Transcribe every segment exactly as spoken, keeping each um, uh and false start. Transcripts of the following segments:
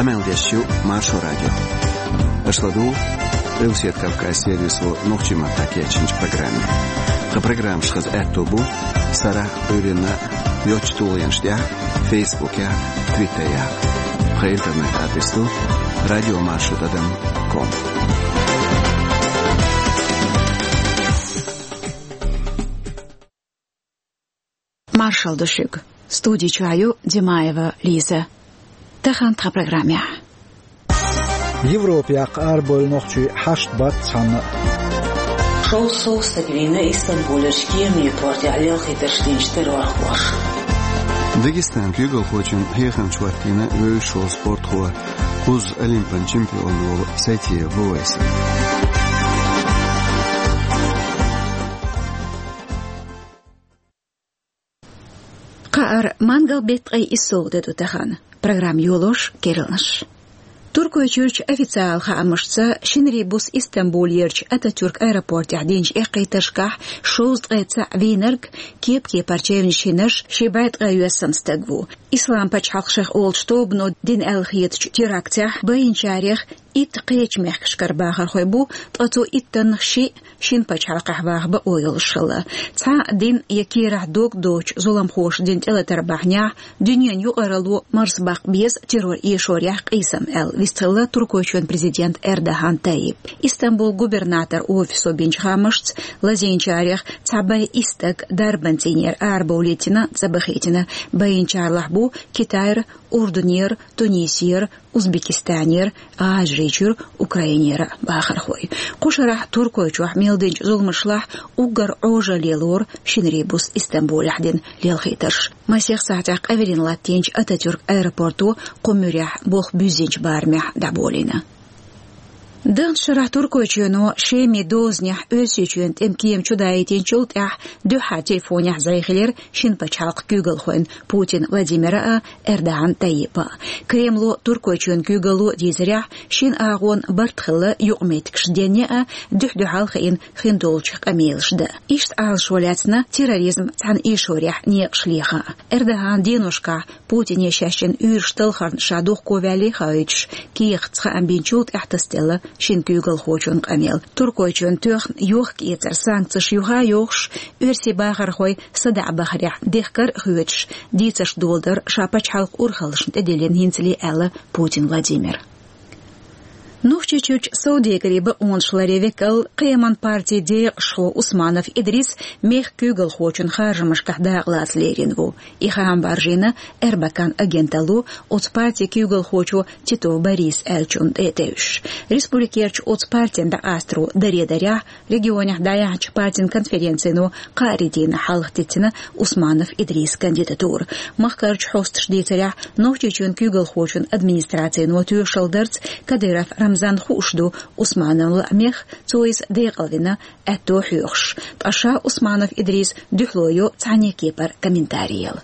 Къамел деш ю Маршо радио. Аша ладугӀу Къилбаседа Кавказан сервисо нохчийн маттахь кечйинчу программе. Тхан программаш хаза аьтто бу сарахь а, Ӏуьйранна а йоцчу тулгӀенаш тӀехь а, Фейсбукехь а, Твиттерехь а. Тхан интернет-адрес ду радиомаршо тӀадам ком. Маршалла ду шуьга. Студи чохь ю Димаева Лиза. Тахана тхан программехь: Европа яккха арабевлла нохчий хьашт бац цхьанна а. Шовзткъа сов стаг вийна Истамбулерчу кеманийн портехь лелхийтарш динчу террорхоша. Дагестанан куьйгалхочун хьехамча хӀоттийна вевзаш волу спортхо, кхузза Олимпан чемпион волу Сайтиев Вовайса. Кхаара, мангал-беттан ткъе исс де ду тахана. Программа йолош керланаш. Туркойчуьрчу официалан хаамашца, шинарийн буса Истамбулерчу Ататюрк аэропортехь динчу эккхийтаршкахь шовзткъе цхьаъ вийнарг, кеп-кепара чевнаш йинарш, ши бӀе ткъе йоьссана стаг ву. Ислам пачхьалкх шех олучу тобано дина аьлла хетачу терактехь байинчарех итт кхечу мехкашкара бахархой бу, ткъа цу иттаннах шиъ шина пачхьалкхехь ваха бакъо йолуш хилла. Цхьа а дин я кийрахь дог доцучу зуламхоша дина тӀелатар бахьанехь, дуьненан юкъаралло марсабаккха беза террор эшорехь къийсам аьлла вистхилла Туркойчоьнан президент Эрдоган Тайип. Истамбулан губернаторан офисо бинчу хаамашца, лазийначарех цхьа бӀе исс стаг дарбанан цӀийнера арабовлийтина, цӀа бахийтина. Байинчарлахь бу Китайра, Урдунера, Тунисера, Узбекистанера, ГӀажарийчуьра, Украинера бахархой. Кху шарахь Туркойчохь мел динчу зуламашлахь уггар Ӏожалле лору шинарийн буса Истамбулехь дина лелхийтарш. Масех сахьтехь къаверина латтийначу Ататюрк аэропорто кху муьрехь болх буьззинчу барамехь дӀаболийна. Даханчу шарахь Туркойчоьно Шеман дозанехь Оьрсийчоьнан тӀеман кема чудаийтинчул тӀаьхьа дуьххьара телефонехь зӀе хилира шина пачхьалкхан куьйгалхойн, Путин Владимиран а, Эрдоган Тайипан а. Кремло, Туркойчоьнан куьйгалло дийцарехь, шина агӀонан барт хилла юкъаметтигаш денъян а, дуьхь-дуьхьал хиъна хиндолчух къамелаш дан. Иштта Ӏалашо лаьцна терроризм цхьана эшорехь некъаш лехан а. Эрдогана деношкахь Путине шаьш йина уьйраш талхарна ша духко ваьллий хаийтуш, кехатца хаам бинчул тӀаьхьа тасаделла шина куьйгалхочун къамел. Туркойчоьнан тоьхна йохка-эцаран санкцеш юха а йохуш, оьрсийн бахархой садаӀа бахарехь дехкар а хоьцуш, дийцарш доладар ша пачхьалкхан урхаллашна тӀедиллина хӀинцале, аьлла Путин Владимира. Нохчийчуьрчу совдегарийн бакъонаш ларъяран векал, кхераман партин декъашхо Усманов Идрис мехкан куьйгалхочун харжамашкахь дакъалаца лерина ву. И хаам баржийна «Эрбакан» агенталло оцу партин куьйгалхочо Титов Бориса аьллачунна тӀе а тевжаш. Республикерчу оцу партина дӀакъастаро даре дарехь, регионехь дӀаяьхьначу партин конференцино кхаарин дийнахь хьалхадитина Усманов Идрисан кандидатура. Махкарчу хьосташа дийцарехь, Нохчийчоьнан куьйгалхочун администрацино тоьшалла дарца, Кадыров Рамзанна хууш ду Усмановн лаамех, цо иза декъалвина, аьтто хьоьхуш. Ткъа ша Усманов Идрис дуьхьало йо цхьанне а кепара комментари яла.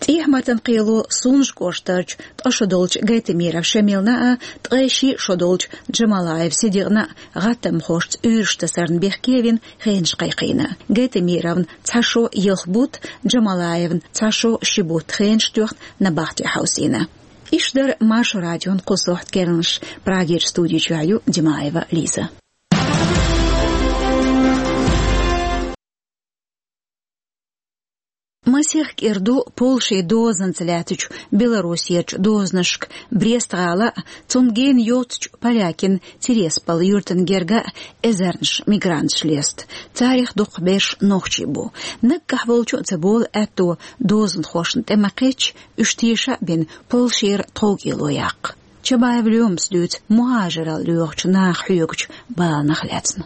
ТӀехьа-маттана кхело Сунжа кӀоштарчу ткъа шо долчу Гайтамиров Шамилна а, ткъе шиъ шо долчу Джамалаев Сидикъна а гӀаттамхошца уьйраш тасарна бехке а вина, хенаш кхайкхийна. Гайтамировна цхьа шо ялх бутт, Джамалаевна цхьа шо ши бутт хенаш тоьхна, набахте хьовсийна. Иштта дара Маршо радион кху сохьта керланаш. Прагерчу студи чохь ю Димаева Лиза. Масех кӀира ду Польшин дозанца лаьттачу Белоруссерчу дозанашка Брест-гӀала а, цунна гена йоццачу полякийн Тирасполь юьртана герга а эзарнаш мигранташ леста. Царех дукхахберш нохчий бу. Наггахь волчу а ца болу аьтто дозанхошна тӀе ма-кхеччи, уьш теша а бина, Польшера тховкӀело яккха. Чабаев Лоьмас дуьйцу мухӀажаралла лоьхучу наха хьоьгучу баланах лаьцна.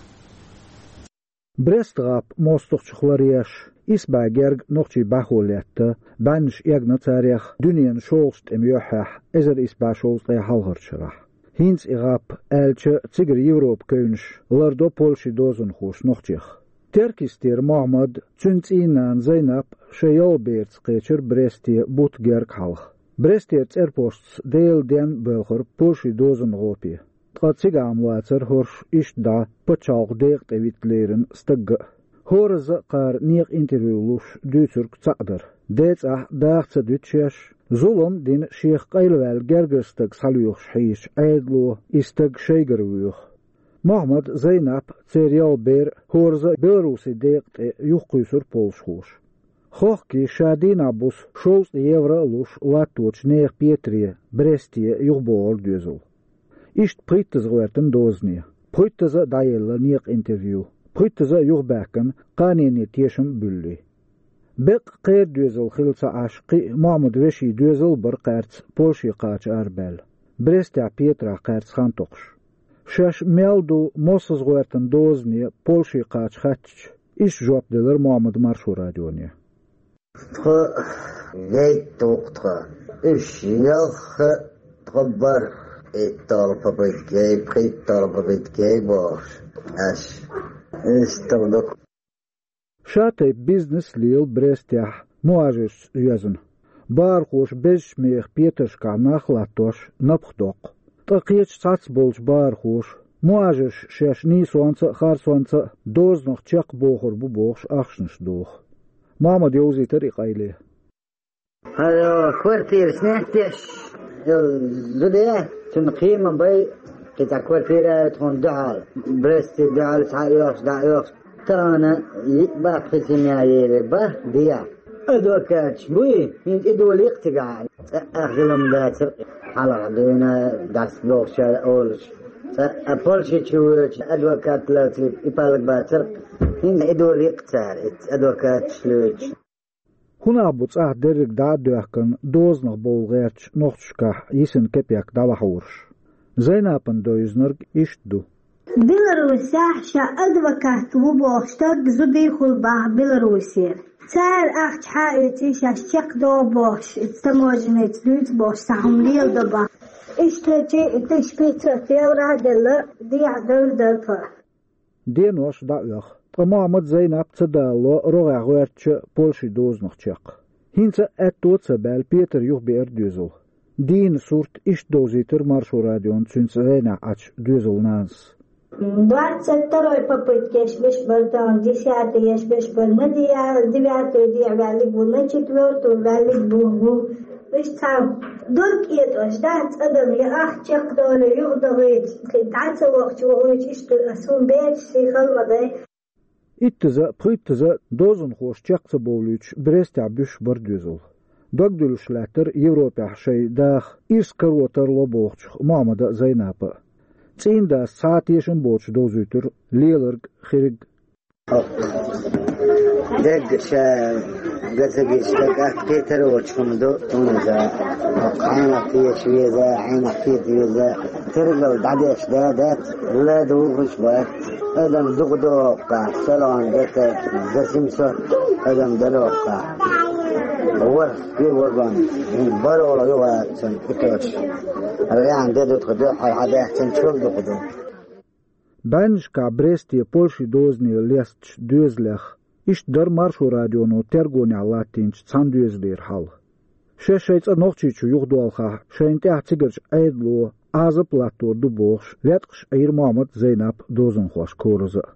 Брест-гӀап мостагӀчух ларъеш, исс бӀе герга нохчий бӀаьхо летта, бӀеннаш эгна царех, дуьненан шолгӀачу тӀеман юьххьехь, эзар исс бӀе шовзткъе хьалхарчу шарахь. ХӀинца и гӀап аьлча, цигара Европан кевнаш лардо Польшин дозанхоша нохчех. Теркйистера Мохьмад, цуьнан цӀийнан нана Зайнап шайн ялх берца кхечира Бресте бутт герга хьалха. Брестера цӀерпошца Делан денна боьлхура Польшин дозанан гӀопе. Ткъа цигахь ма вацара хӀорш иштта дӀа пачхьалкхан декъа тӀе витта лерина стаг а. ХӀоразза а кхара некъан интервью луш дуьйцург цхьаъ дара. ДецӀахь даха ца дуьтуш еш, Зулам дина шех къайлаваьлла гергара стаг схьалоьхуш хьийзачу Ӏедало и стаг шайгара воьху. Мохьмад, Зайнап, церан ялх бер хӀоразза а Беларусин декъа тӀе юхакхуьйсура полшхоша. Хохкий ша дийнахь буса шовзткъа евро а луш латточу нехан петаре, Бресте юхабогӀура доьзал. Иштта пхийттаза гӀоьртина дозане, пхийттаза а дӀаелла некъан интервью, пхийттаза а юхабаьхкина кханенан тешам а буьллий. Беккъа кхеран доьзал хилла ца Ӏаш, кхин а Мохьмадан вешин доьзал а бара кхаьрца Польше кхача арабаьлла, Брестехь петарехь кхаьрца хан токхуш. Шаьш мел ду, мосазза гӀоьртина дозане Польше кхача хаьттича, иштта жоп делира Мохьмада Маршо радионе. Тхо гайта туху тхо. Уьш ялх а тхо бара. ИтталгӀа попытка яй, пхийтталгӀа попытка яй бохуш. Аш. Иштта ду. Ша тайпа бизнес лела Брестехь мухӀажаршца йоьзна. Бахархоша безачу мехах петаршкахь нах а латтош напха доккху. Ткъа кхечу цхьацца болчу бахархоша, мухӀажарш шаьш нийсонца а, харцонца а дозанах чекх бохур бу бохуш, ахчанаш доху. Мохьмада йовзийтира и къайле. Хьо квартира снять деш йолу зуда, цунна кхин а ма бай, кхин цхьа квартира а тхуна дуьхьал. Бресте дуьхьал схьа а оьхуш, дӀа а оьхуш. Тахана йиъ баккхий семья елира, бах, дехьа. Адвокаташ буй, хӀинца и долийкъа цигахь. ЦӀа а хилам дацара, хьалха дуьйна дац бохучара олуш. ЦӀа а Польше чу воьдучу адвокат лацийта и паллаг бацара, хӀинца и долийкъа цара, и адвокаташ лоьдуш. ХӀун нах бу цӀахь дерриг дӀа а доьхкина, дозанах бовла гӀертачу нохчашкахь йисина кепек дӀалахьораш? Зайнапана девзинарг иштта ду. Беларусехь ша адвокат ву бохуш стаг зудийхула бахьа Беларусера. Цара ахча хьаоьций шаьш чекхдоху бохуш, иза таможенница дуьйцу бохуш, цхьа хӀума леладо бахьа. Иштта тысяча пятьсот евро а делла, дехьа девр дара тхо. Денош дӀаоьху, ткъа Мохьмад, Зайнап ца далало рогӀехь гӀоьртича Польшин дозанах чекх. ХӀинца а аьтто а ца баьлла, петар юхабеара доьзал. Дийнан сурт иштта довзийтира Маршо радиона цуьнца зӀенехь Ӏачу доьзал нанас. Двадцать второй попытка еш беш бара тахана, десятый еш беш бара, на девятую дехьа ваьллиг ву, на четвёртую ваьллиг ву. Уьш цхьа дург кӀетӀош дац адам, я ахча чекхдолу, юхадохуьйту, кхин дӀа ца вахча вохуьйту, иштта ас хӀун бечу сий хала ма дай. Иттаза а, пхийттаза а дозанхоша чекх ца бовлуьйтуш, Брестехь буьсуш бара доьзал. Дог дуьллуш лаьттара Европехь шайн даха ирс каро тарло бохучух Мохьмада а, Зайнапа а. ЦӀийнан дас цхьа а тешам боцуш довзуьйтура леларг, хирг. Дерг ша гацагиш дагахь кхетар а воцуш хӀума ду, хӀунда хьенах кхеташ веза, хьенах кхета веза, тергал дӀадеш да дац, ла духуш бац. Адам дукха дохкахь, салон дата, за семьсот адам далоккахь. Ворхке вагон, барола югӀацан итош. Рян де дутха ду, хьал хьадаьхцан чул дукха ду. БӀеннашкахь Бресте Польшин дозане лестачу доьзалех, иштта дара Маршо радионо тергонехь латтийначу цхьана доьзалера хьал. Шаьш шайн цӀа Нохчийчу юхадолхахь, шайна тӀехь цигарчу Ӏедало Ӏазап латтор ду бохуш, леткъаш Ӏийра Мохьмад, Зайнап дозанхошка хӀоразза а.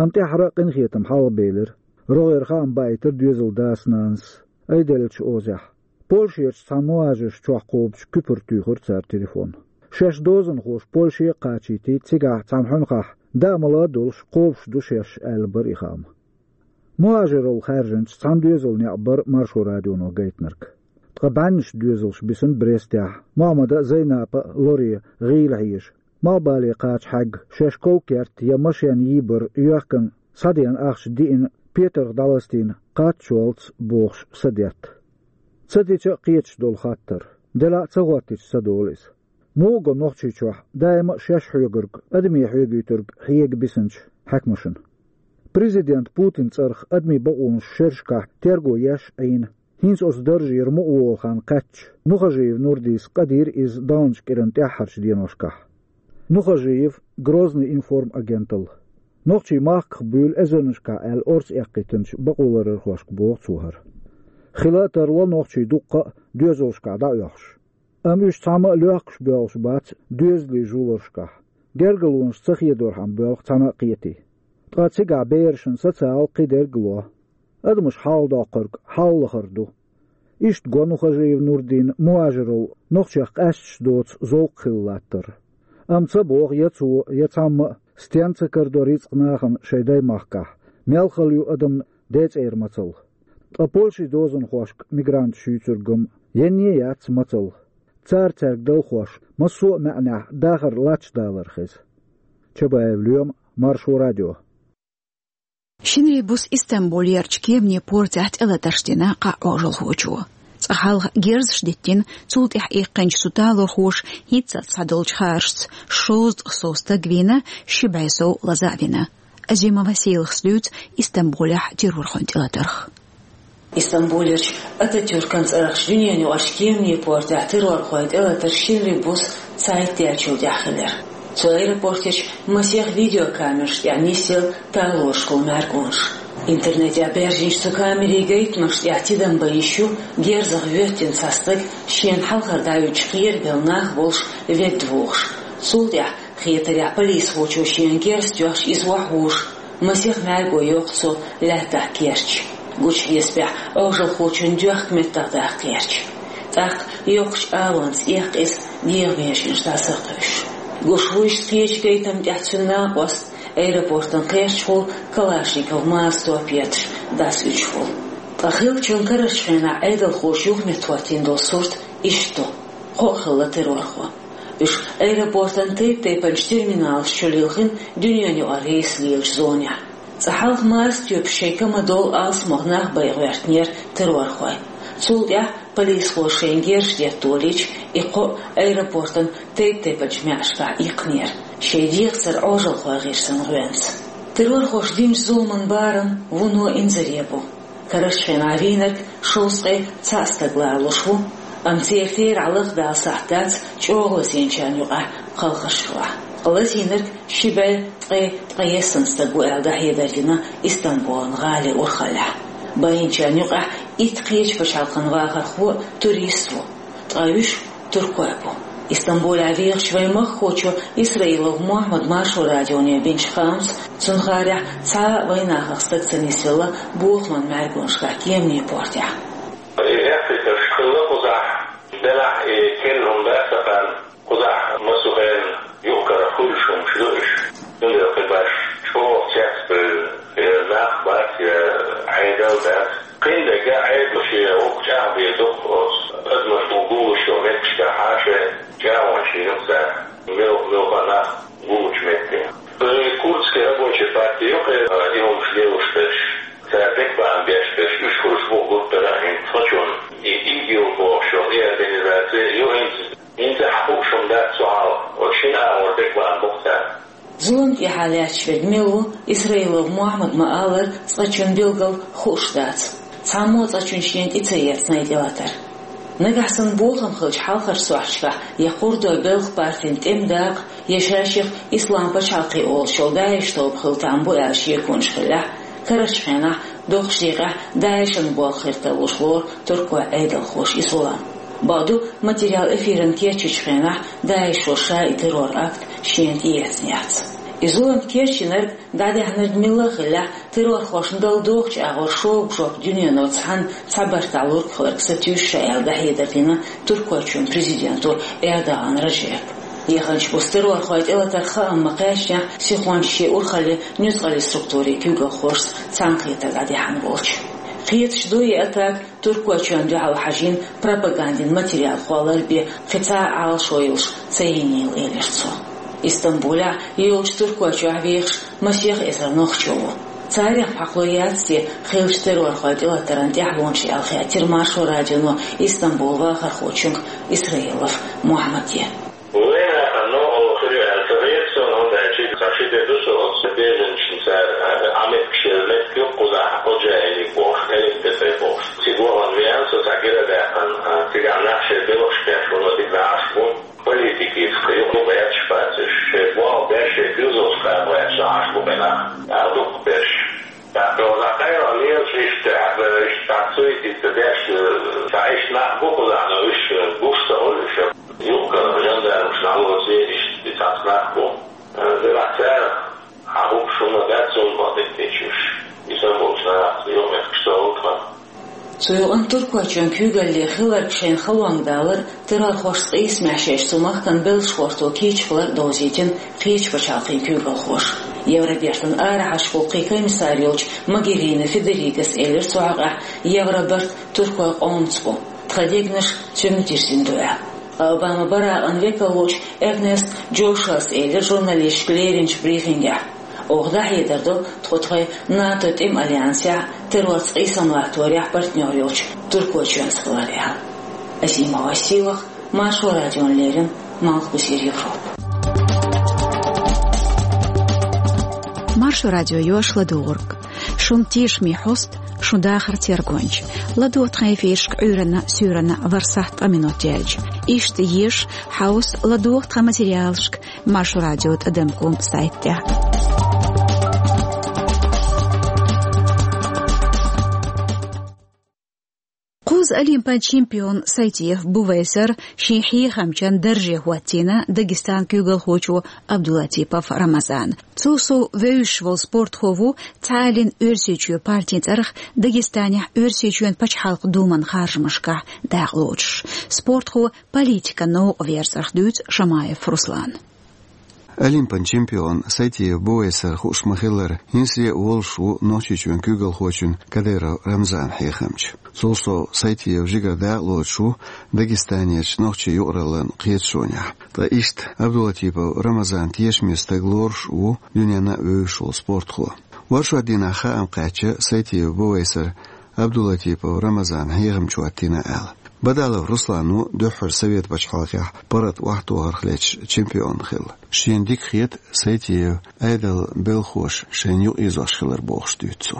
Амма тӀаьххьара а къинхетам хьалхабелира. РогӀера хаам баийтира доьзалан дас-нанас, айделлачу озехь. Польшерчу цхьана мухӀажарш чохь кхобучу куьпара туьйхира цара телефон. Шаьш дозанхоша Польше а кхачийтий, цигахь цхьана хьуьнхахь, даа-мала а долуш, кхобуш ду шаьш, аьлла бара и хаам. МухӀажаралла хаьржинчу цхьана доьзалан некъ бара Маршо радионо гайтинарг. Ткъа бӀеннаш доьзалш бисина Брестехь, Мохьмада а, Зайнапа а лоре, гӀийла хьежа. Малхбале кхача хьаьгга, шаьш ков-керт я машен йийбар йоьхкина, схьадеана ахча диъна, петарх дӀаластийна, кхаччалц бохуш са детта. Ца дича а кхеташ долу хаттар. Делахь а ца хӀоттича ца долу иза. Муха го Нохчийчохь даима а шаьш хьоьгург, адаме хьоьгуьйтург хьега бисинчу хьаькамашна? Президент Путин цӀарах адамийн бакъонаш шерашкахь терго еш а Ӏийна, хӀинца оцу даржера мукъаволу хан кхаьчча, Нухажиев Нурдис къадийра иза далначу кӀиран тӀаьххьарчу деношкахь. Нухажиев, Грозный информ агенталла. Нохчийн махках буьйлу эзарнашкахь аьлла орца эккхийтинчу бакъоларъярхошка боху цо хӀара. Хила а тарло нохчий дуккха а доьзалшкахь дӀаоьхуш. Амма уьш цхьамма а лоьхкуш боьлхуш бац доьзалийн жуларшкахь. Гергалонаш ца хедорхьама боьлху цхьана а кхетий. Ткъа цигахь берашна социал кхидерг а ло. Адамаш хьалхадоккхург хьалалахар ду. Иштта го Нухажиев Нурдина мухӀажарал нохчех къаьсташ доцу зовкх хилла латтар. Амма ца боху я цо, я цхьамма а, стенна ца карадо рицкъ нахана шайн даймахкахь, мел хала ю адамна ден цӀера мацалла. Ткъа Польшин дозанхошка мигранташ юьйцург-м енне а яц мацалла. Цара цаьрга далхош, массо а маьӀнехь дахар латташ далар хеза. Чабаев Лоьма, Маршо радио. Шинарин буса Истамбулерчу кеманийн портехь тӀелатарш дина кхаа Ӏожалхочо. Цкъа хьалха герзаш диттина, цул тӀаьхьа иккхинчу цу талорхоша хӀинццалц схьадолчу хааршца шовзткъа сов стаг вийна, ши бӀе сов лаза а вина. Азима Сийлахас дуьйцу Истамбулехь террорхойн тӀелатарх. Истамбулерчу Ататюркан цӀарахчу дуьненаюкъарчу кеманийн портехь террорхойн тӀелатарш шинарин буса цхьайтта даьллачул тӀаьхьа хилира. Цу аэропортехь масех видеокамераш тӀехь нисъелла талорашкахула маьркӀонаш. Интернетехь баьржинчу цу камерийн гайтамаш тӀехь тидам бан йиш ю герзах воьттина цхьа стаг, шена хьалхара дӀавуьгучу кхерабелла нах болуш, ведда вогӀуш. Цул тӀаьхьа хетарехь полисхочо шена герз тоьхча иза охьавуьгуш, масех маьрго йоккху цо лаьттахь керча. Гучу хьесапехь Ӏожалхочун доьхка меттах даккха гӀерташ. ТӀаккха йоккхачу алонца эккха иза, дегӀан меженаш дӀасакхуьйсуш. Гуш ву иштта кхечу гайтам тӀехь цуьнан накъост, аэропортан кхерчахула Калашников Маза топ етташ дӀасауьдуш волу. Ткъа хиллачун карарчу хенахь Ӏедалхоша юхаметтахӀоттийна долу сурт иштта ду: кхоъ хилла террорхо. Уьш аэропортан тайп-тайпанчу терминалаш чу лилхина дуьненаюкъара рейс лелачу зонехь. Цкъа хьалха Маза тоьпаш шайн кама долу алсамох нах бен гӀоьртинера террорхой. Цул тӀаьхьа полисхоша шайна герзаш детта долийча, и кхоъ аэропортан тайп-тайпанчу маьӀнашкахь иккхинера, шайн дегӀацара Ӏожалхой гӀирсина гӀоьнца. Террорхоша динчу зуламан барам вуно инзаре бу. Карарчу хенахь вийнарг шовзткъе цхьаъ стаг лоруш ву, амма церан терахь лахдала сахьт дац чӀогӀа лазийначарна юкъахь кхалхарш хилахь. Ткъа лазийнарг ши бӀе ткъе ткъайесна стаг ву аьлла дӀахьедар дина Истамбулан гӀалин урхаллехь. Байинчарна юкъахь итт кхечу пачхьалкхан вахархо а, турист а ву. Ткъа уьш туркой бу. Истамбулехь вехачу вайн махкахочо Исраилов Мухьаммада Маршо радионе бинчу хаамца, цунна хаарехь, цхьа а вайнахах стаг ца нисъелла бохаман маьркӀонашкахь кеманийн портехь. И эккхийтарш хилла кхузахь, делахь и керла хӀума дац сан кхаьрна. Кхузахь массо а хенахь юкъ-кара хуьлуш хӀумаш ду уьш. Цундела кхин баш чӀогӀа цецбевлла я нах бац, я Ӏедал дац. Кхин дерг Ӏедало шен гӀуллакх чӀагӀбе ду-кх оцу адамаш гуллуш йолу меттигашкахь, шайн чӀагӀонаш йина цара, мел-, муьлхха нах гуллучу метте. Курдский рабочий партия ю-кх и хӀумаш лелош берш. Цара дегабаам беш берш, уьш хуьлуш бу гуттара а хӀинца цхьачунна. И ИГИЛ бохуш йолу и организация ю хӀинца. ХӀинца хьан хууш хӀума дац цу хьалха, оцу шина агӀор дегабаам бу-кх цара. Зулам тӀехьа лаьтташ верг мила ву Исраилов Мухьаммада ма-аллара, цкъачунна билггал хууш дац. Цхьаммо а цкъачунна шена тӀе ца эцна и тӀелатар. Нагахь санна бохам хилча хьалхарчу сохьташкахь я кхуьрдо белхан партин тӀеман дакъа, я ша-шех Ислам пачхьалкх олуш йолу ДАИШ тоба хила там бу аьлла шеконаш хиллехь, карарчу хенахь доккхачу декъехь ДАИШан болх хир тарлуш лору туркойн Ӏедалхоша и зулам. Бакъду, материал эфиран кечйинчу хенахь ДАИШо ша и террор-акт шена тӀеэцна яц. И зулам кечйинарг, дӀадаьхьнарг милла а хиллехь, террорхошна дала догӀучу агӀор шога жоп дуьнено цхьаьна цхьа бартахь лург хиларг сатуьйсу ша аьлла дӀахьедар дина Туркойчоьнан президенто Эрдоган Раджепа. Яханчу буса террорхойн тӀелатарх хаам ма-кхаьчнехь, сихонца шен урхаллин нуьцкъаллин структурийн куьйгалхошца цхьаьнакхетар дӀадаьхьна волчу. Кхеташ ду и атака Туркойчоьнна дуьхьал хьажийна пропагандин материал кхоллар бен кхин цхьа а Ӏалашо йолуш ца йинийла, элира цо. Истамбулехь йолчу Туркойчохь вехаш масех эзар нохчо ву. Царах хьакхало яц те хиллачу террорхойн тӀелатаран тӀаьхьалонаш аьлла хаьттира Маршо радионо Истамбулан вахархочуьнга Исраилов Мухьаммаде. Вайнахана новкъарло хир ю аьлла ца хета суна, хӀунда аьлча цхьа ши де ду со оцу беженцашна цара Ӏаметтигаш елла меттиг ю кхузахь, Ходжаили бохуш, Элип тӀе бохуш. Цига вахана веана со цхьа гира а даьккхина, цигахь нах шайн белхаш беш вуно дика Ӏаш бу. Политикица юкъа гӀерташ бац уьш. Шайн болх беш, шайн куьйгаллаш кхаба гӀерташ Ӏаш бу кхин нах. Ӏа дукха берш. ТӀаккха кхайран лелаш иштта, иштта цхьа суьйцида деш, цхьа иштта нах бу кхузахь, но уьш гуш ца хуьлу уьш. Юкъара жан Цу юкъанна Туркойчоьнан куьйгалле хилларг шайна халонга далар, террорхошца къийсамехь шаьш цу махкана белшахошто кийча хилар довзийтина кхечу пачхьалкхийн куьйгалхоша. Евробертан арахьарчу гӀуллакхийн комиссар йолчу Могерини Федерикас элира цу хьокъехь, Евробарт туркойн къомаца бу, тхан дегнаш цуьнга дирзина ду аьлла. Обама Баракъан векал волчу Эрнест Джошуас элира журналисташка леринчу брифингехь: «Оха дӀахьедар ду, тхо тхайн НАТО тӀеман альянсехь, террорца къийсам латторехь партнер йолчу Туркойчоьнца хилар», — аьлла. Азимова Силах, Маршо радиона леррина, Малхбузера Европа. Маршо радио йош ладугӀург. Шун тешаме хьоста, шун дахар тергонча. ЛадогӀа тхан эфирашка Ӏуьйранна, суьйранна, ворхӀ сахьт ткъа минот яьлча. Иштта еша, хьовса, ладогӀа тхан материалашка Маршо радио тӀадам ком сайтехь. Кхузза олимпан чемпион Сайтиев Бувайсар шен хьехамчан дарже хӀоттийна Дагестан куьйгалхочо Абдулатипов Рамазана. Цул сов вевзаш волу спортхо ву цхьааллин Оьрсийчоь партин цӀарах Дагестанехь Оьрсийчоьнан пачхьалкхан думан харжамашкахь дакъалоцуш. Спортхо политикан новкъа верзарх дуьйцу Шамаев Руслана. Олимпан чемпион Сайтиев Бувайсар хууш ма-хиллара, хӀинцале а волуш ву Нохчийчоьнан куьйгалхочун Кадыров Рамзанан хьехамча. Цул сов Сайтиев жигара дакъалоцуш ву Дагестанерчу нохчийн юкъараллин кхеташонехь. Ткъа иштта Абдулатипов Рамазан тешаме стаг лоруш а ву дуьненна а вевзаш волу спортхо. Оршот дийнахь хаам кхаьчна Сайтиев Бувайсар Абдулатипов Рамазанан хьехамча хӀоттийна аьлла. Бадалов Руслан ву дуьххьара Совет пачхьалкхехь паргӀат охьатохарх лаьтташ чемпион хилла. Шена дика хета Сайтиев Ӏедалан белхахоша шайна юкъаэцош хилар бохуш дуьйцу цо.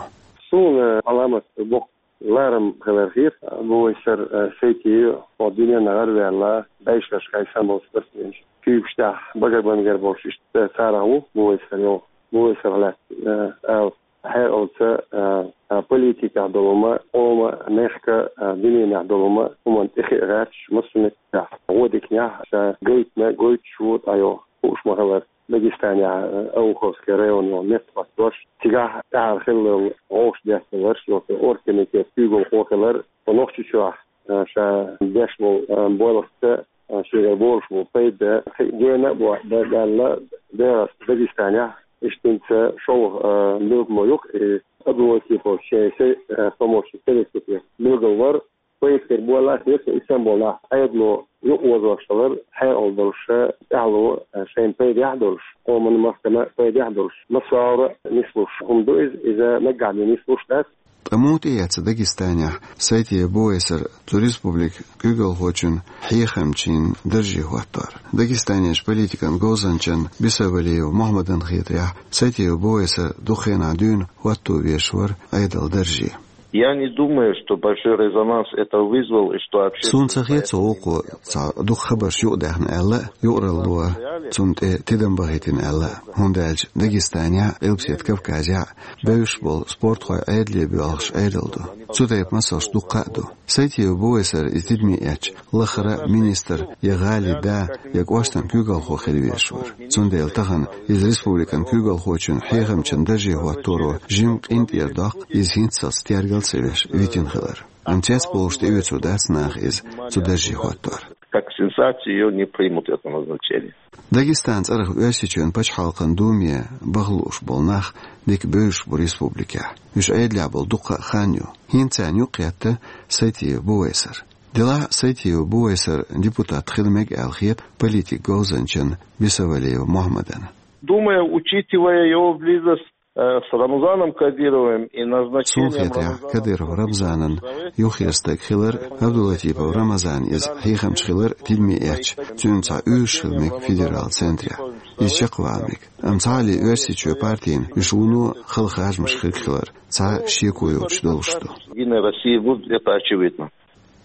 Суна Ӏаламат боккха ларам хилар хета. Бувайсар, э, Сайтиев хӀокху дуьненна гӀараваьлла, бӀешерашкахь санна болу спортсменаш куьйгаш тӀехь багарбангар болуш, иштта царах ву Бувайсар йогӀу. Бувайсар лаьцна, э, ала хьекъалца, а, а, политикехь долу хӀума, къоман, мехкан, а, дуьненехь долу хӀума, хӀуманна тӀе хиъна гӀерташ, массо а меттехь, гӀо диканехь, ша гайтина, гойтуш ву, дӀайо, хууш ма-хиллара, Дагестанехь, а, Ауховский район йолу метта хӀоттош, цигахь тӀаьхьара хиллал гӀовш детталарш, йоцу оргкомитет куьйгалхо хилар, тхо Нохчийчохь, а, ша деш болу, а, боьлхуца, а, шегара болуш болу пайда, хи-, гена а бо-, да-, даьлла, дегӀаста Дагестанехь, иштта шолгӀа, а, билгало ю-кх, и Абдулатипов шен се-, а, помощник советник билгал вара, пайда хир боллаш, и санна болу нах Ӏедало юкъаозош хилар, хьекъал долуш, тӀаьхьало, а, шайна пайдехь а долуш, къоманна, махкана пайдехь а долуш, массо а агӀор а нислуш хӀума ду иза, иза наггахь бен нислуш дац. Ткъа муха тӀеэцна Дагестанехь Сайтиев Бувайсар цу республикан куьйгалхочун хьехамчин дарже хӀоттор? Дагестанерчу политикан говзанчан Бисавалиев Мухьаммадан хетарехь, Сайтиев Бувайсар дукха хенахь дуьйна хӀотто веш вара Ӏедалан дарже. Я не думаю, что большой резонанс это вызвал, и что общественное... Суна ца хета цо вукхо цхьа дукха хабарш юкъадаьхна аьлла а, юкъаралло цунна тӀе тидам бахийтина аьлла а, хӀунда аьлча Дагестанехь а, Къилбаседа Кавказехь а бевзаш болу спортхой Ӏедале боьлхуш Ӏедал ду. Цу тайпа масалш дуккха а ду. Сайтиев Бувайсар иза тидаме эцча, лахара а министр, я гӀалин да, я кӀоштан куьйгалхо хила везаш вара. Цундела тахана иза республикан куьйгалхочун хьехамчин дарже хӀотторо жимма къинтӀера доккху иза хӀинццалц тергал а ца веш витина хилар. Амма цецбовлуш тӀеоьцур дац наха иза цу дарже хӀоттор. Как сенсацию её не примут, это назначение. Дагестан цӀарах Оьрсийчоьнан пачхьалкхан Думе баха лууш болу нах дика бевзаш бу республикехь. Уьш Ӏедалехь болу дуккха а хан ю. ХӀинца царна юкъакхетта Сайтиев Бувайсар. Делахь а Сайтиев Бувайсар депутат хила мега аьлла хета политикан говзанчан Бисавалиев Мухьаммадана. Думаю, учитывая его близость, э, с Рамзаном Кадыровым и назначением... Суна хетарехь, Кадыров Рамзанан юххера стаг хилар, Абдулатипов Рамзан иза хьехамча хилар тидаме эцча, цуьнан цхьа уьйраш хила мега федералан центрехь. Иза чекхвала мега. Амма цхьаалле Оьрсийчоь партийна уьш вуно хала харжамаш хирг хилар цхьа шеко йоцуш долуш ду. Гимн России будет, это очевидно.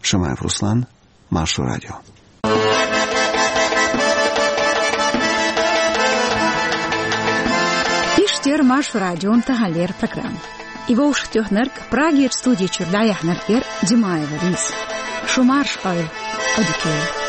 Шамаев Руслан, Маршо радио. Иштта яра Маршо радион таханлера программа. И вовшахтоьхнарг, Прагерчу студи чуьра дӀаяьхьнарг яра Димаева Лиза. Шу марша Ӏойла, Ӏодика йойла.